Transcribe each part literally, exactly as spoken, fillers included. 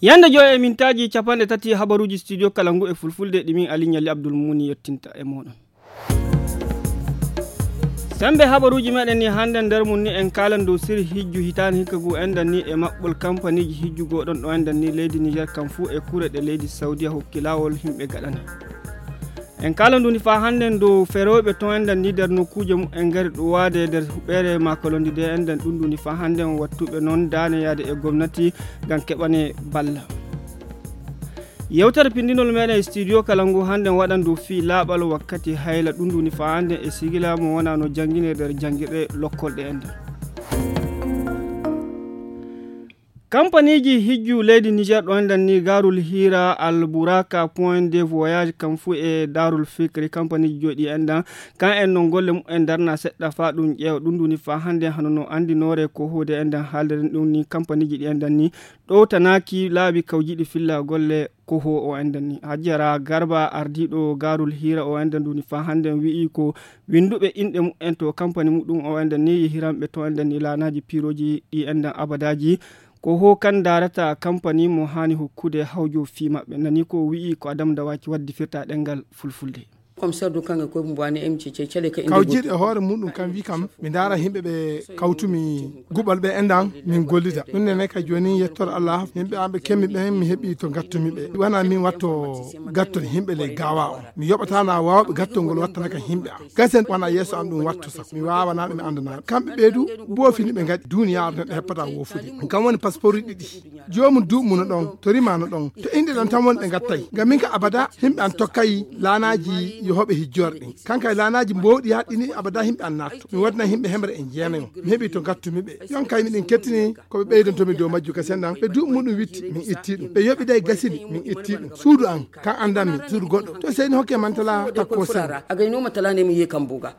Yande joy e mintaaji capanɗe tati habaruuji studio kala ngu e fulfulde ɗi min Ali Ɲalli Abdul Muni yettinta e mooɗon. Sembe habaruuji meɗen ni hannde nder mum ni en kaalan dow siri hijju hitaande hikka ngu enɗan ni e maɓɓol kampaniji hijju goɗon ɗo enɗan ni leydi Niger kam fuu e kure ɗe leydi Saudiya hokki laawol himɓe gaɗani. En kaalan ɗum ni faa hannde dow ferooɓe ton enɗan ni nder nokkuuje mum en ngari ɗuwaade nder huɓeere makolondi de enɗan ɗum ɗum ni faa hannde on wattuɓe noon daane yaade e gomnati ngam keɓane balla. Yewtere pindinol meɗen e studio kala ngu hannde waɗan dow fii laaɓal wakkati hayla ɗum ɗum ni faa hannde e sigila mo wonano janngine nder janngirɗe lokkolɗe enɗan. Kampaniji hijju leydi Niger ɗo enɗan ni Garul Hira, Alburaka, Point de Voyage, kam fuu e Darul Fikri, kampaniji joyi ɗi enɗan, kan en non golle mum en darna seɗɗa faa ɗum ƴeewa ɗum ɗum ni faa hannde hano no anndinoore ko hoode enɗan haaldiren ɗum ni kampaniji ɗi enɗan ni ɗowtanaaki laabi kawjiɗi filla golle ko ho o enɗan ni. Hajjara Garba ardiiɗo Garul Hira o enɗan ɗum ni faa hannde wi'i ko winnduɓe inɗe mum en to kampani muɗum o enɗan ni yehiranɓe to enɗan ni laanaaji piirooji ɗi enɗan abadaaji. Ko ho kan daarata kampani mo haani hokkude hawjo fii maɓɓe. Nani ko wi'i ko Adam Dawaki waddi firta ɗengal fulfulde. Commissaire du Kange ko Mbouane M C C, cale ka inde kawjiɗo goto. E hoore muɗum kam wi kam mi ndaara yimɓe ɓe kawtumi guɓal ɓe enɗan min gollida. Ɗum nene kay jooni yettor Allah yimɓe an ɓe kemmi ɓen mi heɓi to gattumi ɓe. Wona min watto gatton yimɓe ley gawa on. Mi yoɓata na wawɓe gattol ngol wattana kam yimɓe am. Gasen wona yeeso am ɗum watto sako. Mi wawana ɓe mi andana ɓe. Kamɓe ɓe du boofini ɓe ngaɗi duniyaaru neɗɗo heppata woofude. Kam woni passeport ɗiɗi. Joomum duuɓi mum no ɗon, to rima no ɗon, to inɗe ɗon tan woni ɓe ngattay. Ngam min ka abada, yimɓe an tokkay laanaaji yohooɓe hijjoore ɗin. Kankay laanaaji mboɗi yaɗɗini abada yimɓe an naatto. Mi waɗina yimɓe hemre e jeenayo. Mi heɓi to ngattumi ɓe. Yon kay miɗen kettini ko ɓe ɓeydontomi dow majju ka sendan. Ɓe duuɓi muɗum witti, min itti ɗum. Ɓe yoɓiday gasini, min itti ɗum. Suudu an, kan andanmi, suudu goɗɗo. To seyni hokke mantala takko sen. Agay numa tala ne mi ye kan buga.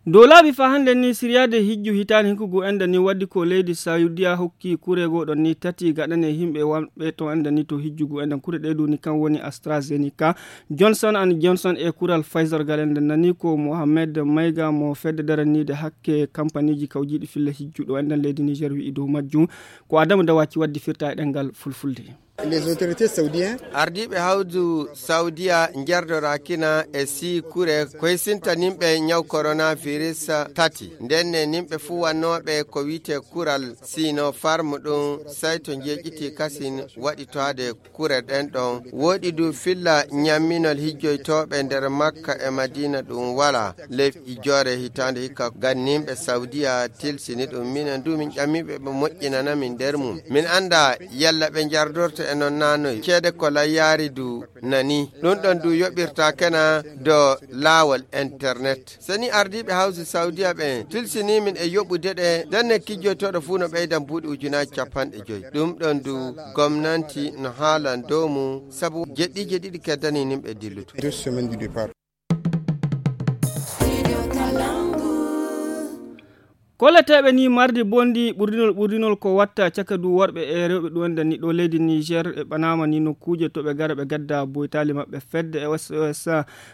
Dow laabi faa hannde ni siryaade hijju hitaande hinkugu enda ni waddi ko leydi Saudiya hokki kure goɗon ni tati gaɗane yimɓe wonɓe to enda ni to hijjugu enda kure ɗe duni kan woni AstraZeneca, Johnson and Johnson e kural Pfizer gal enda nani ko Mohamed Mayga mo fedde daraniide hakke kampaniji kawjiɗi filla hijju ɗo enda leydi Niger wi'i dow majjum. Ko Adamu Dawaci waddi firta e ɗengal fulfulde. Les autorités saoudiens. Ardiiɓe hawdu Saudiya njerdorakina e sii kure koysinta nimɓe ñaw coronavirus tati. Ndenne nimɓe fuu wannooɓe ko wiyte kural Sinopharm ɗum sayto njeeƴiti kasin waɗitoade kure ɗen ɗon. Woɗi du filla ñamminol hijjoytooɓe nder Makka e Madina ɗum wala. Ley ijjoore hitaande hikka ganninɓe Saudiya tilsini ɗum. Minen du min ƴammiɓe ɓe moƴƴinana min nder mum. Min annda yalla ɓe njardorto e non na noy. Ceede ko layyaari du nani. Ɗum ɗon du yoɓirta kena do laawol internet. Seni ardiiɓe hawsi Saudiya ɓen tilsini min e yoɓude ɗe. Denne kijjoytooɗo fuu no ɓeydan buuɗi ujunaaji capanɗe joy. Ɗum ɗon du gomnanti no haalan dow mum sabu jeɗɗiije ɗiɗi keddani nimɓe dillutu. Kolleteeɓe ni mardi bondi ɓurdinol ɓurdinol ko watta caka du worɓe e rewɓe ɗum enɗan ni ɗo leydi Niger e ɓanama ni nokkuuje to ɓe gara ɓe gadda boytali maɓɓe fedde e S O S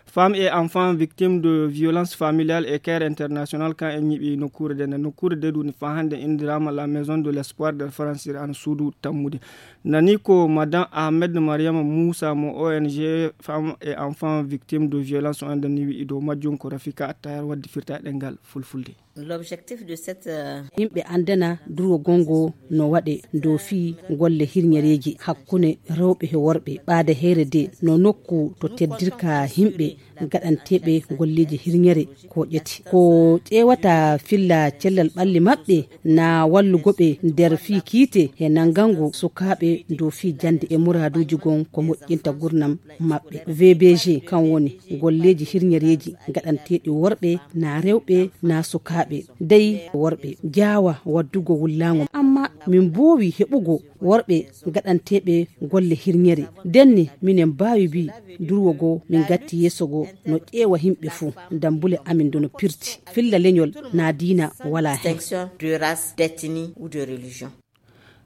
Femmes et Enfants Victimes de Violence Familiale e Care International kan en ñiɓi nokkuure de nde nokkuure de duni fa hannde indirama la maison de l'espoir nder francir an suudu tammude. Nani ko Madame Ahmed Mariama Moussa mo O N G Femmes et Enfants Victimes de Violence o enɗan ni wi'i dow majjum ko Rafika Attayar waddi firta e ɗengal fulfulde. L'objectif de cette, euh, yimɓe andana durwo gongo no waɗe dow fii golle hirñereeji hakkunde rewɓe e worɓe. Ɓaade heere de no nokku to teddirka yimɓe gaɗanteeɓe golleeji hirñere ko ƴeti. Ko ƴeewata filla cellal ɓalli maɓɓe na wallugo ɓe nder fii kiite e nangango sukaaɓe dow fii jannde e muraaduuji gon ko moƴƴinta gurnam maɓɓe. V B G kan woni golleeji hirñereeji gaɗanteeɗi worɓe na rewɓe na sukaaɓe dey worɓe jaawa waddugo wullaango. Amma min mboowi heɓugo worɓe gaɗanteeɓe golle hirñere. Denne minen mbaawi mbi durwo goo min gatti yeeso goo no ƴeewa yimɓe fuu. Dambule amin dono pirti. Filla leñol na diina wala heen. Distinction de race, d'ethnie ou de religion.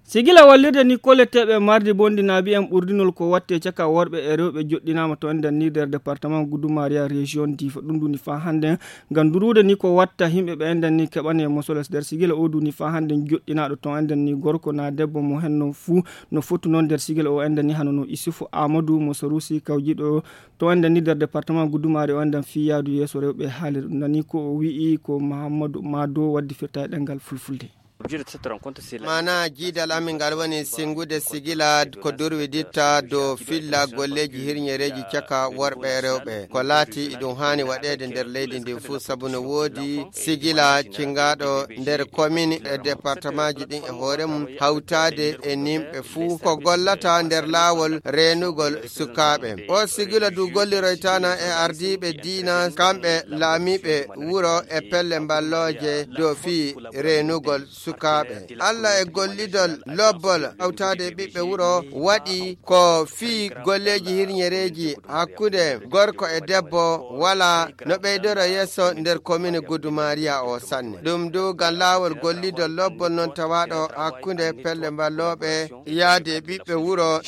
Sigila wallirde ni kolleteeɓe mardi bonndi naabi en ɓurdinol ko watte caka worɓe e rewɓe joɗɗinaama to enden ni nder département Goudoumaria région Difa. Ɗum duni faa hannden ngam duruude ni ko watta yimɓe ɓe enden ni keɓane mosoles. Nder sigila o duni faa hannden joɗɗinaaɗo to enden ni gorko na debbo mo henno fuu no fottu noon nder sigila o enden ni hano no Isufu Amadou mo Sarusi kawjiɗo to enden ni nder département Goudoumaria o enden fii yaadu yeeso rewɓe haaliri ɗum nani ko o wi'i ko Mahamadou Mado waddi firta e ɗemngal fulfulde. Maanaa jiidal amin ngal woni sinngude sigila ko durwiditta dow filla golleeji hirñereeji caka worɓe e rewɓe. Ko laati ɗum haani waɗeede nder leydi ndi fuu sabu no woodi sigila cingaaɗo nder komin e departamaaji ɗin e hoore mum hawtaade e nimɓe fuu ko gollata nder laawol reenugol sukaaɓe. O sigila du golliroytaana e ardiiɓe diina kamɓe laamiiɓe wuro e pelle mballooje dow fii reenugol sukaaɓe. Alla e gollidol lobbol hawtaade e ɓiɓɓe wuro waɗi ko fii golleeji hirñereeji hakkunde gorko e debbo wala no ɓeydoro yeeso nder komine Gudumaariya o sanne. Ɗum du ngam laawol gollidol lobbol noon tawaaɗo hakkunde pelle mballooɓe yaade e ɓiɓɓe wuro.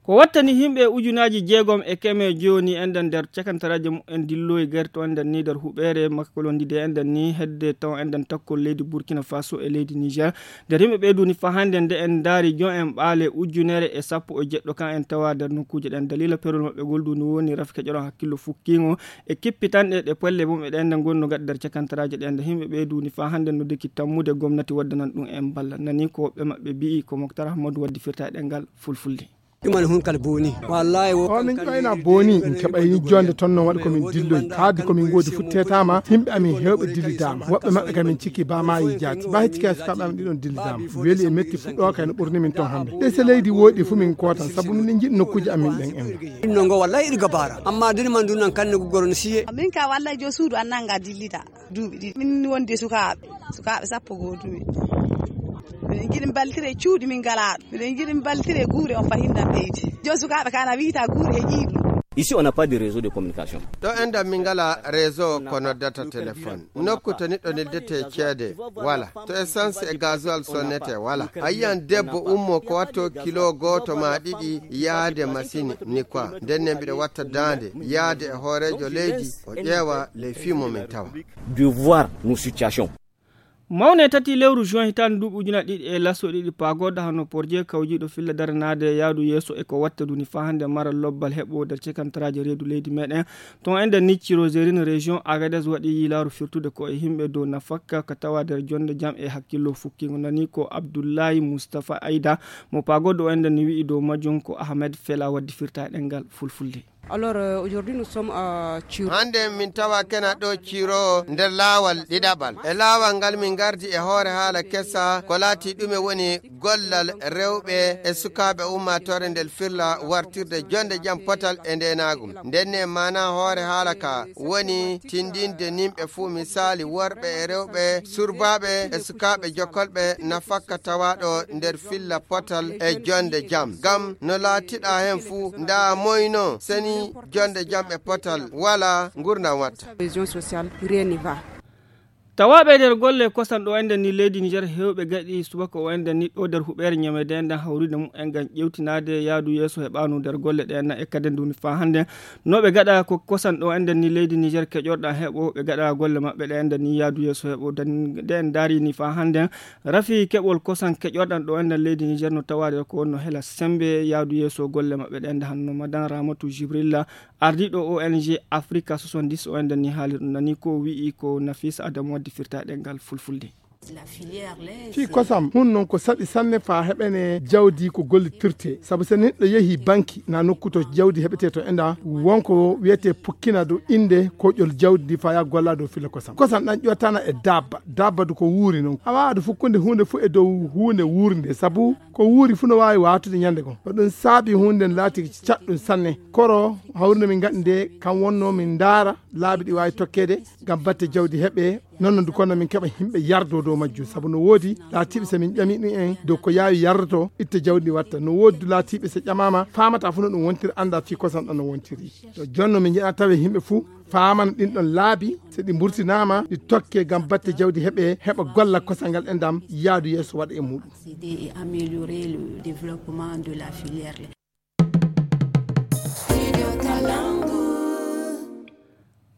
Ko wattani yimɓe ujunaaji jeegom e keme jooni enden nder cakantaraaji mumen dilloyi gerte on nden ni nder huɓeere makkolondide enden ni hedde taw enden takkol leydi Burkina Faso e leydi Niger. Nder yimɓe ɓee duni faa hannde nde en ndaari jon en ɓaale ujunere e sappo e jeɗɗo kan en tawa nder nokkuuje ɗen. Dalila perol maɓɓe gol duni woni rafi keƴoron hakkillo fukkiingo e kippitanɗe ɗe polle mum e ɗen nde gonno gaɗa nder cakantaraaji ɗen. Nde yimɓe ɓee duni faa hannde no deki tammude gomnati waddanan ɗum en balla. Nani ko woɓɓe maɓɓe bi'i ko Moktar Ahmadu waddi firta e ɗemngal fulfulde. Ɗuman hun kala booni. Wallahi wo. O min ƴoyna booni, min keɓay jonde ton non waɗi ko min dilloy. Kaadi ko min ngoodi futtetama, yimɓe amin hewɓe dillidaama. Woɓɓe maɓɓe kam min cikki ba maayi jaati. Ba hecci kay sukaaɓe amin ɗiɗon dillidaama. Weli e metti fuɗɗo kay no ɓurni min ton hannde. Ɗe se leydi woɗi fu min kootan, sabu min njiɗi nokkuuji amin ɗen en. Ɗum non ngo wallahi iɗi gabaara. Amma duni man dun nan kanne gugoro no siye. Min ka wallahi jo suudu an nanga dillida. Duuɓi ɗiɗi. Min wonde sukaaɓe. Sukaaɓe sappo goo duuɓi. Miɗen njiɗi mbaltire cuuɗi min ngalaa ɗum. Miɗen njiɗi mbaltire guure on fahin ɗam ɓeydi. Jooni sukaaɓe kana wiita guure he ƴiiɗum. Ici, on n'a pas de réseau de communication. Ɗo enɗam min ngalaa réseau ko noddata téléphone. Nokku to niɗɗo neldete ceede wala. To essence e gasoil sonnete wala. A yiyan debbo ummo ko watto kilo gooto ma ɗiɗi yaade masini ni quoi. Nden ne mbiɗa watta daande yaade e hooreejo leydi o ƴeewa les films min tawa. De voir nos situations. Mawne tati lewru juin hitaande duuɓi ujuna ɗiɗi e laso ɗiɗi paagoda hano porje kawjiiɗo filla daranaade yaadu yeeso e ko watta duni faa hannde mara lobbal heɓo nder cekantaraaji reedu leydi meɗen. Ton ende ni cirozerin région Agadez waɗi yilaaru firtude ko e yimɓe dow nafakka ka tawa nder jonde jam e hakkillo fukkingo nani ko Abdullahi Mustafa Aida mo paagodo o ende ni wi'i dow majjum ko Ahmed Fela waddi firta e ɗemngal fulfulde. Alors, euh, aujourd'hui, nous sommes à Tchiro. Hannde min tawa kena ɗo Ciro nder laawal ɗiɗaɓal. E laawal ngal min ngardi e hoore haala kesa ko laati ɗume woni gollal rewɓe e sukaaɓe ummaatoore nder firla wartirde jonde jam potal e ndeenaagu. Nden ne maana hoore haala ka woni tindinde nimɓe fuu misaali worɓe e rewɓe surbaaɓe e sukaaɓe jokkolɓe nafakka tawaaɗo nder filla potal e jonde jam. Ngam no laatiɗa heen fuu ndaa moyno seni jonde jam e potal wala ngurndan watta. Cohésion sociale, rien n'y va. Tawaaɓe nder golle kosan ɗo enden ni leydi Niger heewɓe gaɗi subaka o enden ni ɗo nder huɓeere ñamede enden hawrude mumen ngam ƴewtinaade yaadu yeeso heɓaanu nder golle ɗe enna e kaden duni faa hannde. No ɓe gaɗa ko kosan ɗo enden ni leydi Niger keƴorɗan heɓo ɓe gaɗa golle maɓɓe ɗe enden ni yaadu yeeso heɓo dan-, ɗe en ndaari ni faa hannde. Rafi keɓol kosan keƴorɗan ɗo enden leydi Niger no tawaade ko wonno hela sembe yaadu yeeso golle maɓɓe ɗe enden hanno madan Ramatu Jibrilla ardiiɗo O N G Africa soixante-dix o enden ni haali ɗum nani ko wi'i ko Nafis Adam waddi firta e ɗemngal fulfulde. Fii kosam hun non ko saɗi sanne faa heɓene jawdi ko gollitirte sabu so neɗɗo yehi banki na nokku to jawdi heɓete to enda wonko wiyete pukkina dow innde koƴol jawdi ndi faa yaa golla dow filla kosam. Kosam ɗan ƴottana e dabba, dabba du ko wuuri non. A waawaa du fukkunde huunde fu e dow huunde wuurnde sabu ko wuuri fu no waawi waatude ñande goo. Ko ɗum saabi huunde nden laati caɗɗum sanne. Koro hawrude min ngaɗi nde kam wonno min ndaara laabi ɗi waawi tokkeede ngam batte jawdi heɓe. Non non du kono min keɓa yimɓe yardo dow majjum sabu no woodi laatiiɓe so min ƴami ɗum en dow ko yaawi yardoto itta jawdi ndi watta. No woodi du laatiiɓe so ƴamaama faamata fu no ɗum wontiri annda fii kosam ɗan no wontiri. To jonno min njiɗa tawe yimɓe fuu Faamana ɗin ɗon laabi, so ɗi mburtinaama, ɗi tokke ngam batte jawdi heɓe, heɓa golla kosal ngal enɗam yaadu yeeso waɗa e muuɗum. Accéder et améliorer le développement de la filière.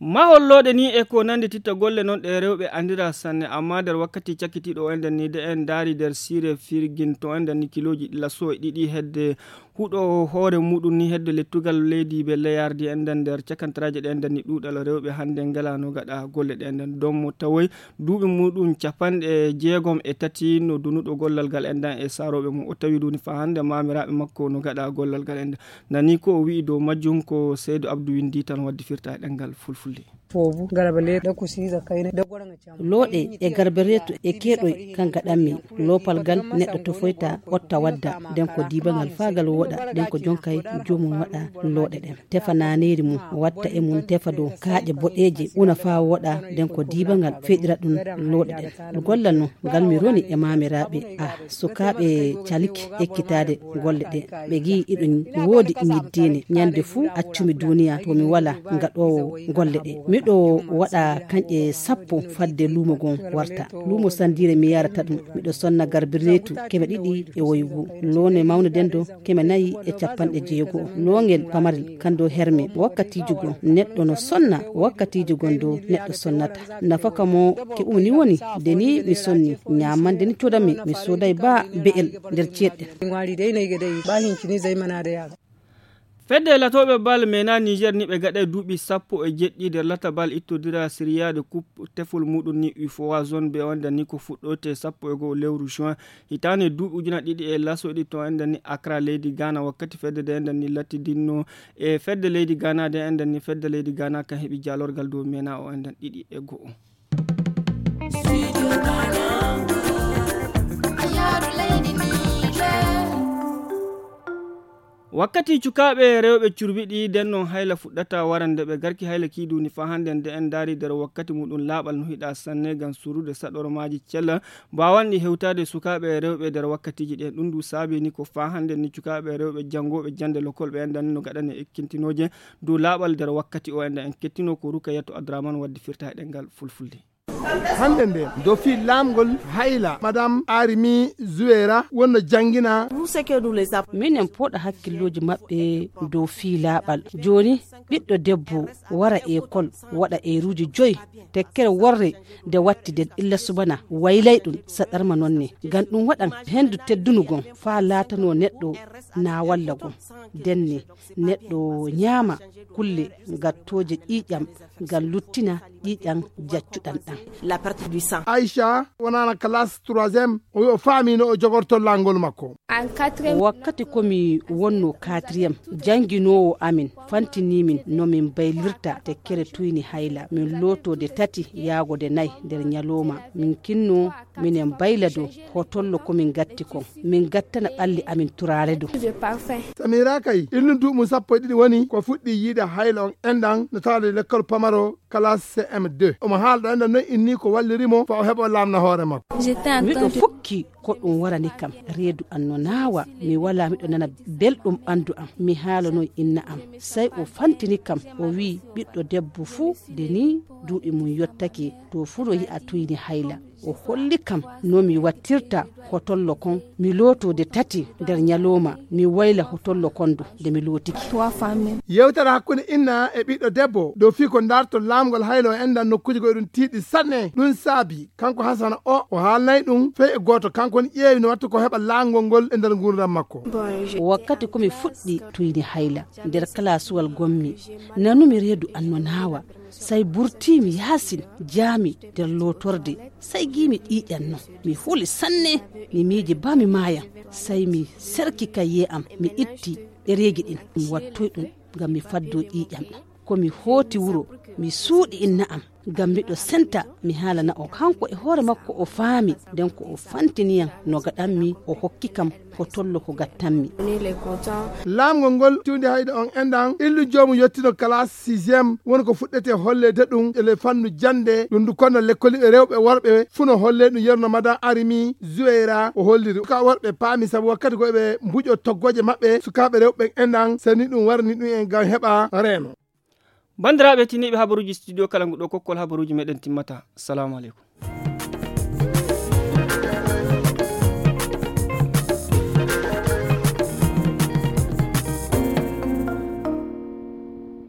Mahol looɗe ni e ko nanndi titta golle noon ɗe rewɓe anndira sanne, amma nder wakkati cakkitiiɗo o enɗen ni, de en ndaari nder siire firgin to enɗen ni kilooji laso e ɗiɗi hedde huɗo hoore muɗum ni hedde lettugal leydi be leyardi enɗen nder cakantaraaji ɗe enɗen ni ɗuuɗal rewɓe hannde ngalano gaɗa golle ɗe enɗen. Dommo tawoy duuɓi muɗum capanɗe jeegom e tati no dunuɗo gollal ngal enɗan e saarooɓe mum. O tawi duni faa hannde maamiraaɓe makko no gaɗa gollal ngal enɗan. Nani ko o wi'i dow majjum ko Seydu Abdu winndi tan waddi firta e ɗemngal Fulfulde. Looɗe e garbereetu e keeɗoy kan gaɗanmi. Loopal gal neɗɗo tofoyta otta wadda, nden ko diibangal faa gal wooɗa, nden ko jonkay joomum waɗa looɗe ɗen. Tefa naaneeri mum, watta e mum tefa dow kaaƴe boɗeeje, una faa wooɗa, nden ko diibangal feɗira ɗum looɗe ɗen. Gollal non ngal mi roni e maamiraaɓe, ah, sukaaɓe caliki ekkitaade golle ɗe. Ɓe ngi'i iɗum woodi ñiddiine. Ñande fuu accumi duuniya to mi wala gaɗoowo golle ɗe. Miɗo waɗa kanƴe sappo fadde luumo gon warta. Luumo sandiire mi yarata ɗum. Miɗo sonna garbireetu keme ɗiɗi e woygu. Loone mawne den do keme nayi e capanɗe jeego. Loongel pamarel kan do herme. Wakkatiiji goo neɗɗo no sonna, wakkatiiji gon do neɗɗo sonnata. Nafaka mo ke umni woni, de ni mi sonni, ñaamande ni codami, mi sooday ba be'el nder ceeɗɗe. Fedde latooɓe bal mena Niger ni ɓe gaɗay duuɓi sappo e jeɗɗi nder lata bal ittodira siriyaade kup tefol muɗum ni ufowa zone be wonda ni ko fuɗɗote sappo e go'o lewru juin hitaande duuɓi ujuna ɗiɗi e laso ɗi to enɗan ni Accra leydi Ghana. Wakkati fedde de enɗan ni lattidinno e fedde leydi Ghana de enɗan ni fedde leydi Ghana kan heɓi jaalorgal dow mena o enɗan ɗiɗi e go'o. Wakkati cukaaɓe rewɓe curbiɗi den non hayla fuɗɗata warande ɓe garki hayla kiiduni faa hannde nde en ndaari nder wakkati muɗum laaɓal no hiɗa sanne ngam surude saɗormaaji cella mbaawanɗi hewtaade sukaaɓe rewɓe nder wakkatiiji ɗen. Ɗum ndu saabi ni ko faa hannde ni cukaaɓe rewɓe janngooɓe jannde lokol ɓe enɗan no gaɗane ekkintinooje dow laaɓal nder wakkati o enɗan en kettino ko Rukayatu Adraman waddi firta e ɗemngal Fulfulde. Hannde nde dow fii laamgol hayla madame Arimi Zuwera wonno janngina. Minen pooɗa hakkillooji maɓɓe dow fii laaɓal. Jooni ɓiɗɗo debbo wara ekol waɗa eeruuji joy tekkere worre nde watti nden illa subana waylay ɗum saɗarma noon ne. Ngam ɗum waɗan henndu teddunu gon faa laatanoo neɗɗo naawalla gon. Nden ne neɗɗo ñaama kulle gattooje ƴiiƴam ngam luttina ƴiiƴam jaccuɗam ɗam. Aicha wonaana classe troisième o wi o faami no o jogorto laangol makko. Wakkati ko mi wonno quatrième jannginoowo amin fantini min no min baylirta tekkere tuyni hayla min looto de tati yaago de nayi nder ñalooma min kinno minen bayla dow hotollo ko min gatti kon min gattana ɓalli amin turaare dow. Samira kay ilnu duuɓi mum sappo e ɗiɗi woni ko fuɗɗi yiide hayla on enɗan no tawaade lekkol pamaro kala cm deux omo haala ɗo enɗan noon inni ko walliri mo fa o heɓa o laamna hoore makko. Miɗo fukki ko ɗum warani kam reedu an no naawa mi wala miɗo nana belɗum ɓandu am mi haalanoy inna am say o fantini kam o wi'i ɓiɗɗo debbo fuu de ni duuɗi mum yottake to fuu no yi'a tuyni hayla o holli kam no mi wattirta hotollo kon mi looto de tati nder ñalooma mi wayla hotollo kon du nde mi lootiki. Yewtere hakkunde inna e ɓiɗɗo debbo dow fii ko ndarto laamgol hayla o enɗan nokkuuji goo eɗum tiiɗi sanne ɗum saabi kanko hasana o o haalnay ɗum fey e gooto kanko woni ƴeewi no watta ko heɓa laamgol ngol e nder nguurndam makko. Wakkati ko mi fuɗɗi tuyni hayla nder kalaasuwal gonmi nanumi reedu an no naawa say burtiimi yaasin jaami nder lootorde say giimi ƴiiƴan non mi huli sanne mi miiji ba mi maayan say mi serki kayyee am mi itti ɗereeji ɗin mi wattoy ɗum ngam mi faddoo ƴiiƴam ɗam ko mi hooti wuro mi suuɗi inna am ngam miɗo senta mi haalana o kanko e hoore makko o faami nden ko o fantiniyam no gaɗanmi o hokki kam ko tollo ko gattanmi. Laamgol ngol tiwndi hayɗo on enɗan illu joomum yottino kalaas sixième woni ko fuɗɗete holleede ɗum ele fannu jannde ɗum ndu konno lekkoliiɓe rewɓe e worɓe fuu no hollee ɗum yerno madan arimi zuweyra o holliri ka worɓe paami sabu wakkati ko eɓe mbuƴo toggooje maɓɓe sukaaɓe rewɓe enɗan seni ɗum warani ɗum en ngam heɓa reeno. Banndiraaɓe tiniiɓe habaruuji studio kala nguɗo kokkol habaruuji meɗen timmata. Assalamu aleykum.